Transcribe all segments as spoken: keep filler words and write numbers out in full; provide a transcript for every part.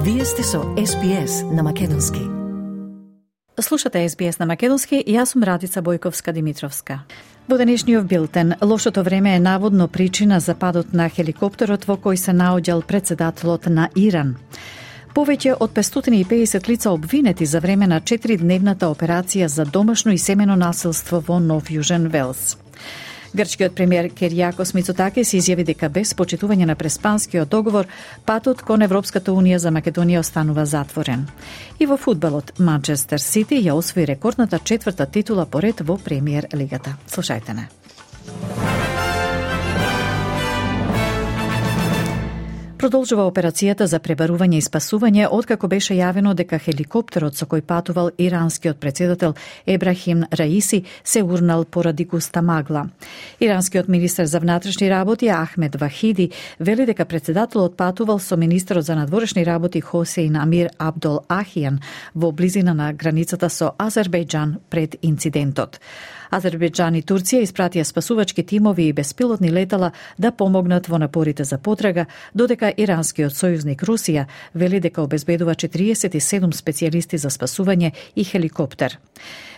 Вие сте со Ес Би Ес на Македонски. Слушате Ес Би Ес на Македонски и јас сум Радица Бојковска-Димитровска. Во денешниот билтен, лошото време е наводно причина за падот на хеликоптерот во кој се наоѓал председателот на Иран. Повеќе од петстотини и педесет лица обвинети за време на четиридневната операција за домашно и семено насилство во Нов Јужен Велс. Грчкиот премиер Киријакос Мицотакис изјави дека без почитување на Преспанскиот договор, патот кон Европската унија за Македонија останува затворен. И во фудбалот, Манчестер Сити ја освои рекордната четврта титула поред во Премиер лигата. Слушајте не. Продолжува операцијата за пребарување и спасување откако беше јавено дека хеликоптерот со кој патувал иранскиот председател Ебрахим Раиси се урнал поради густа магла. Иранскиот министер за внатрешни работи Ахмед Вахиди вели дека председателот патувал со министерот за надворешни работи Хосеин Амир Абдол Ахијан во близина на границата со Азербејџан пред инцидентот. Азербејџан и Турција испратија спасувачки тимови и беспилотни летала да помогнат во напорите за потрага, додека иранскиот сојузник Русија вели дека обезбедува четириесет и седум специјалисти за спасување и хеликоптер.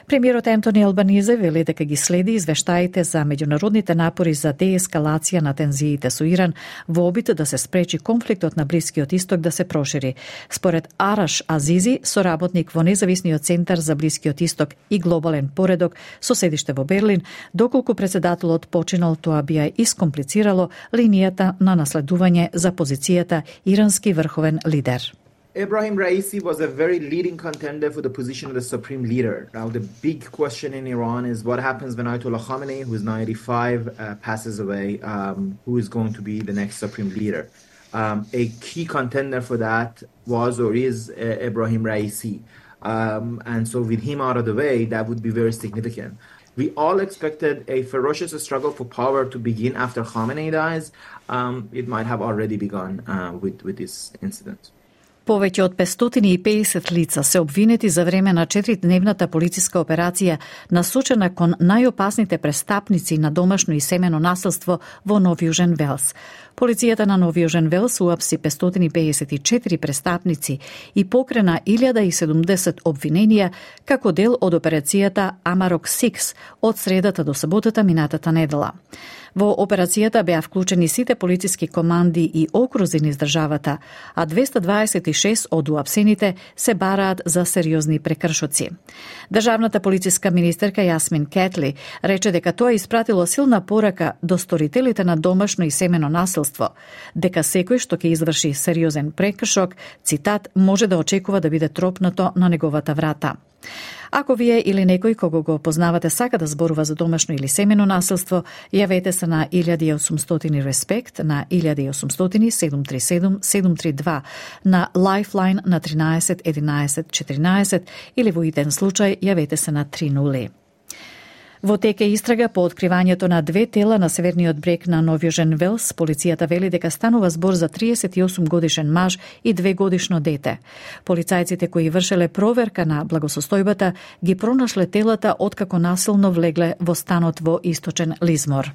Премиерот Ентони Албанизе вели дека ги следи извештаите за меѓународните напори за деескалација на тензиите со Иран во обид да се спречи конфликтот на Блискиот исток да се прошири. Според Араш Азизи, соработник во Независниот центар за Блискиот исток и глобален поредок со седиште во Берлин, доколку председателот починал, тоа би ја искомплицирало линијата на наследување за позицијата ирански врховен лидер. Ebrahim Raisi was a very leading contender for the position of the supreme leader. Now, the big question in Iran is what happens when Ayatollah Khamenei, who is now eighty-five, uh, passes away, um, who is going to be the next supreme leader. Um, a key contender for that was or is uh, Ebrahim Raisi. Um, and so with him out of the way, that would be very significant. We all expected a ferocious struggle for power to begin after Khamenei dies. Um, it might have already begun uh, with, with this incident. Повеќе од петстотини и педесет лица се обвинети за време на четиридневната полициска операција насочена кон најопасните престапници на домашно и семено насилство во Нов Јужен Велс. Полицијата на Нов Јужен Велс уапси петстотини педесет и четири престапници и покрена илјада и седумдесет обвиненија како дел од операцијата Амарок шест од средата до саботата минатата недела. Во операцијата беа вклучени сите полициски команди и окрузи низ државата, а двеста дваесет и шест од уапсените се бараат за сериозни прекршоци. Државната полициска министерка Јасмин Кетли рече дека тоа испратило силна порака до сторителите на домашно и семено насилство, дека секој што ќе изврши сериозен прекршок, цитат, може да очекува да биде тропнато на неговата врата. Ако вие или некој кого го познавате сака да зборува за домашно или семено насилство, јавете се на илјада и осумстотини респект, на илјада и осумстотини седум три седум седум три два, на Lifeline на тринаесет единаесет четиринаесет или во иден случај јавете се на три нули. Во тек е истрага по откривањето на две тела на северниот брег на Нов Јужен Велс, полицијата вели дека станува збор за триесет и осум годишен маж и две годишно дете. Полицајците кои вршеле проверка на благосостојбата ги пронашле телата откако насилно влегле во станот во источен Лизмор.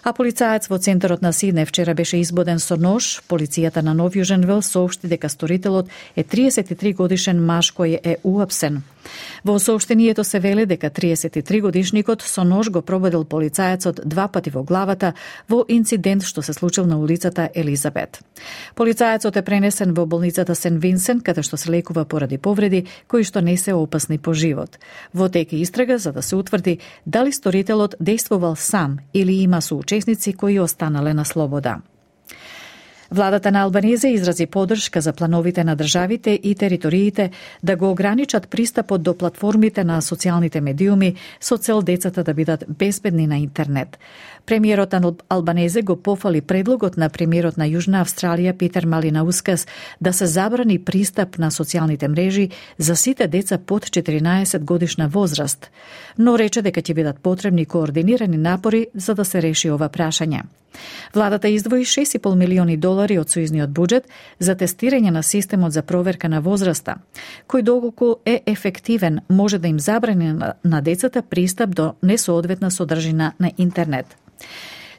А полицаец во центарот на Сиднеј вчера беше избоден со нож. Полицијата на Нов Јужен Велс соопшти дека сторителот е триесет и три годишен маж кој е уапсен. Во соопштението се вели дека триесет и три годишникот со нож го прободил полицаецот два пати во главата во инцидент што се случил на улицата Елизабет. Полицаецот е пренесен во болницата Сен Винсент, каде што се лекува поради повреди кои што не се опасни по живот. Во тек е истрага за да се утврди дали сторителот действувал сам или има соучесници кои останале на слобода. Владата на Албанизе изрази поддршка за плановите на државите и териториите да го ограничат пристапот до платформите на социјалните медиуми со цел децата да бидат безбедни на интернет. Премиерот на Албанезе го пофали предлогот на премиерот на Јужна Австралија Питер Малинаускас да се забрани пристап на социјалните мрежи за сите деца под четиринаесет годишна возраст, но рече дека ќе бидат потребни координирани напори за да се реши ова прашање. Владата издвои шест и пол милиони долари од сојузниот буџет за тестирање на системот за проверка на возраста, кој доколку е ефективен може да им забрани на децата пристап до несоодветна содржина на интернет.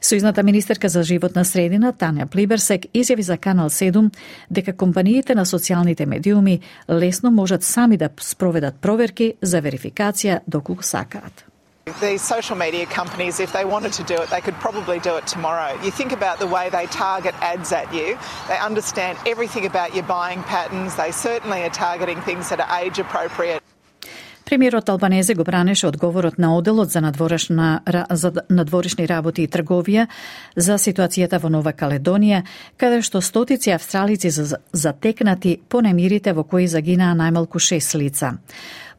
Сојузната министерка за животна средина Тања Плиберсек изјави за Канал седум дека компаниите на социјалните медиуми лесно можат сами да спроведат проверки за верификација доколку сакаат. These social media companies, if they wanted to do it, they could probably do it tomorrow. You think about the way they target ads at you. They understand everything about your buying patterns. They certainly are targeting things that are age appropriate. Премиерот Албанезе го бранеше одговорот на Оделот за надворешна за надворешни работи и трговија за ситуацијата во Нова Каледонија, каде што стотици австралици затекнати по немирите во кои загинаа најмалку шест лица.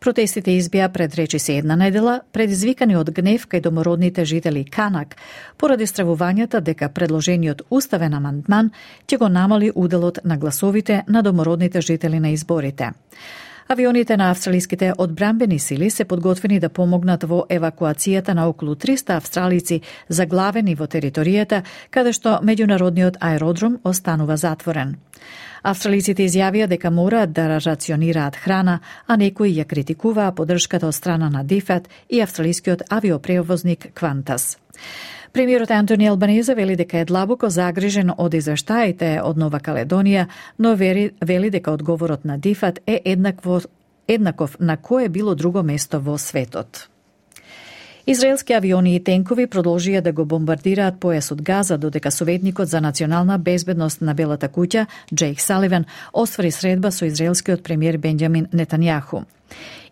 Протестите избија пред речиси една недела, предизвикани од гнев кај домородните жители Канак, поради стравувањата дека предложениот уставен амандман ќе го намали уделот на гласовите на домородните жители на изборите. Авионите на австралиските одбранбени сили се подготвени да помогнат во евакуацијата на околу триста австралици заглавени во територијата, каде што меѓународниот аеродром останува затворен. Австралиците изјавија дека мораат да рационираат храна, а некои ја критикуваа поддршката од страна на ДФАТ и австралискиот авиопревозник Qantas. Премиерот Антони Албанезе вели дека е длабоко загрижен од извештаите од Нова Каледонија, но вери, вели дека одговорот на ДФАТ е еднакво, еднаков на кое било друго место во светот. Израелски авиони и тенкови продолжија да го бомбардираат појасот Газа, додека советникот за национална безбедност на Белата куќа, Джейк Саливан, оствари средба со израелскиот премиер Бенџамин Нетањаху.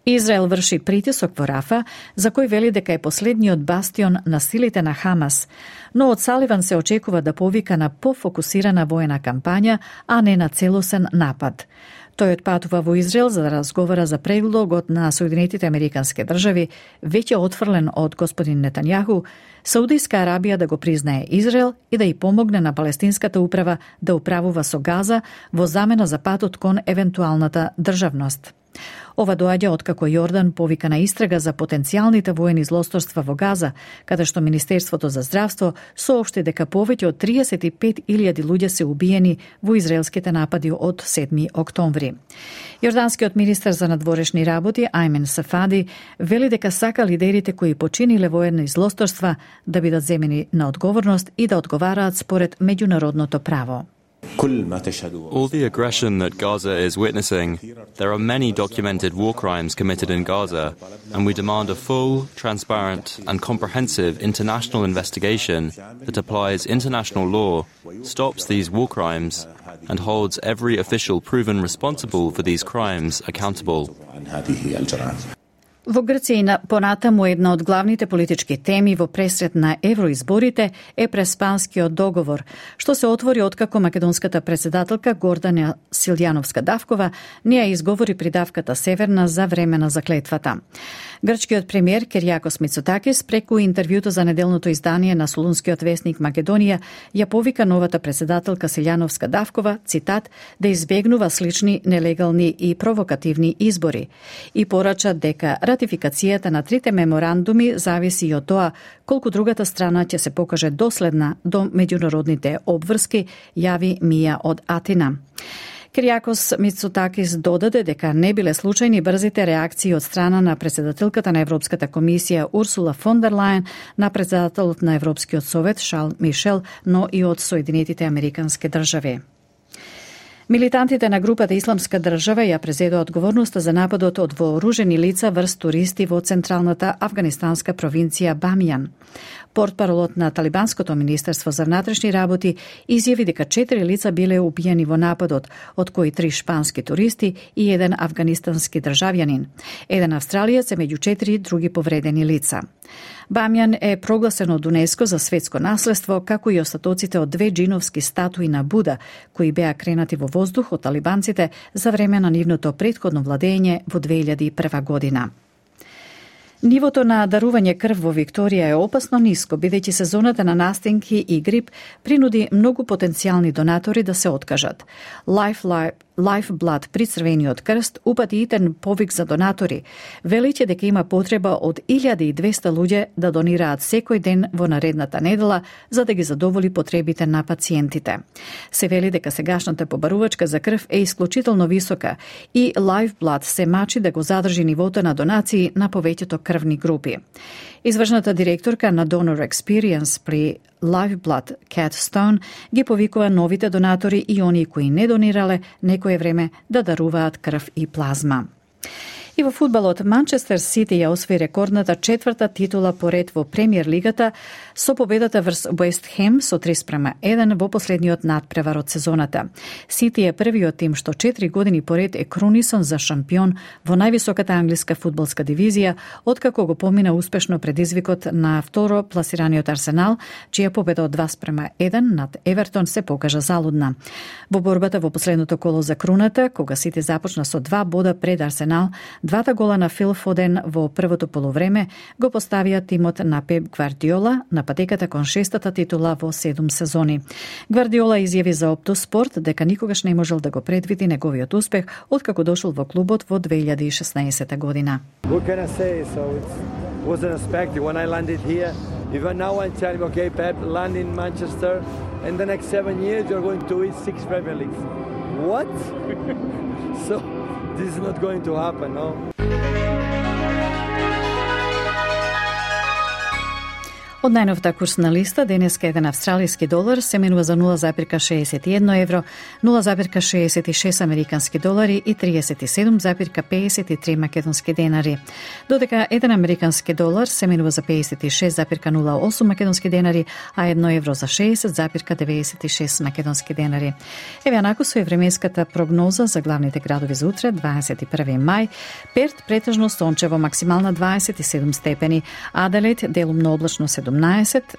Израел врши притисок во Рафа, за кој вели дека е последниот бастион на силите на Хамас, но од Саливан се очекува да повика на пофокусирана воена кампања, а не на целосен напад. Тој отпатува во Израел за да разговара за предлогот на Соединетите Американски држави, веќе отфрлен од господин Нетањаху, Саудиска Арабија да го признае Израел и да ја помогне на палестинската управа да управува со Газа во замена за патот кон евентуалната државност. Ова доаѓа откако Јордан повика на истрага за потенцијалните воени злосторства во Газа, каде што Министерството за здравство соопшти дека повеќе од триесет и пет илјади луѓе се убиени во израелските напади од седми октомври. Јорданскиот министер за надворешни работи Ајмен Сафади вели дека сака лидерите кои починиле воени злосторства да бидат земени на одговорност и да одговараат според меѓународното право. All the aggression that Gaza is witnessing, there are many documented war crimes committed in Gaza, and we demand a full, transparent and comprehensive international investigation that applies international law, stops these war crimes, and holds every official proven responsible for these crimes accountable. Во Грција понатаму една од главните политички теми во пресред на евроизборите е преспанскиот договор, што се отвори откако македонската председателка Гордана Силјановска-Давкова не ја изговори придавката Северна за време на заклетвата. Грчкиот премиер Киријакос Мицотакис преку интервјуто за неделното издание на Солунскиот весник Македонија ја повика новата председателка Силјановска-Давкова, цитат, да избегнува слични нелегални и провокативни избори и порача дека ратификацијата на трите меморандуми зависи и од тоа колку другата страна ќе се покаже доследна до меѓународните обврски, јави Мија од Атина. Киријакос Мицотакис додаде дека не биле случајни брзите реакции од страна на председателката на Европската комисија Урсула фон дер Лајен, на председателот на Европскиот совет Шарл Мишел, но и од Соединетите Американски држави. Милитантите на групата Исламска држава ја презедоа одговорноста за нападот од вооружени лица врз туристи во централната афганистанска провинција Бамијан. Портпаролот на Талибанското министерство за внатрешни работи изјави дека четири лица биле убиени во нападот, од кои три шпански туристи и еден афганистански државјанин. Еден австралиец е меѓу четири други повредени лица. Бамјан е прогласен од УНЕСКО за светско наследство, како и остатоците од две джиновски статуи на Буда, кои беа кренати во воздух од талибанците за време на нивното претходно владење во две илјади и прва година. Нивото на дарување крв во Викторија е опасно ниско, бидејќи сезоната на настинки и грип принуди многу потенцијални донатори да се откажат. Life, Life, Lifeblood при Црвениот крст упати итен повик за донатори, велиќе дека има потреба од илјада и двесте луѓе да донираат секој ден во наредната недела за да ги задоволи потребите на пациентите. Се вели дека сегашната побарувачка за крв е исклучително висока и Lifeblood се мачи да го задржи нивото на донации на повеќето крвни групи. Извршната директорка на Donor Experience при Lifeblood, Cat Stone, ги повикува новите донатори и оние кои не донирале некое време да даруваат крв и плазма. И во фудбалот, Манчестер Сити ја освои рекордната четврта титула поред во Премиер лигата со победата врз Уест Хем со три спрема еден во последниот надпревар од сезоната. Сити е првиот тим што четири години поред е кронисан за шампион во највисоката англиска фудбалска дивизија, откако го помина успешно предизвикот на второ пласираниот Арсенал, чија победа од два спрема еден над Евертон се покажа залудна. Во борбата во последното коло за круната, кога Сити започна со два бода пред Арсенал, двата гола на Фил Фоден во првото полувреме го поставија тимот на Пеп Гвардиола на патеката кон шестата титула во седум сезони. Гвардиола изјави за Опто Спорт дека никогаш не можел да го предвиди неговиот успех откако дошол во клубот во две илјади и шеснаесетта година. What can I say? So it wasn't expected when I landed here. Even now I'm telling, okay, Pep, land in Manchester, and the next seven years you're going to win six Premier Leagues. What? So this is not going to happen, no? Од најновата курсна листа, денеска еден австралиски долар се менува за нула запирка шеесет и едно евро, нула запирка шеесет и шест американски долари и триесет и седум запирка пеесет и три македонски денари. Додека еден американски долар се менува за пеесет и шест запирка нула осум македонски денари, а едно евро за шеесет запирка деветдесет и шест македонски денари. Еве анаку со временската прогноза за главните градови за утре, дваесет и први мај. Перт претежно сончево, максимална дваесет и седум степени, Аделаид делумно облачно седумнаесет,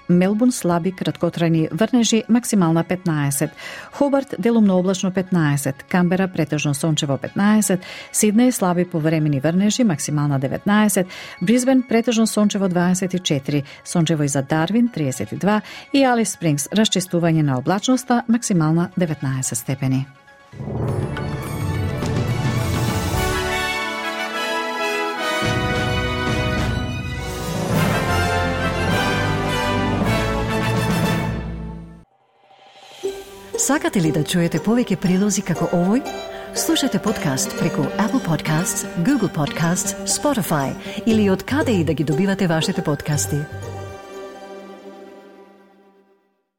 Мелбурн слаби краткотрајни врнежи, максимална петнаесет, Хобарт делумно облачно петнаесет, Камбера претежно сончево петнаесет, Сиднеј слаби повремени врнежи, максимална деветнаесет, Брисбен претежно сончево дваесет и четири, сончево и за Дарвин триесет и два и Алис Спрингс расчистување на облачноста, максимална деветнаесет степени. Сакате ли да чуете повеќе прилози како овој? Слушате подкаст преку Apple Podcasts, Google Podcasts, Spotify или од каде и да ги добивате вашите подкасти.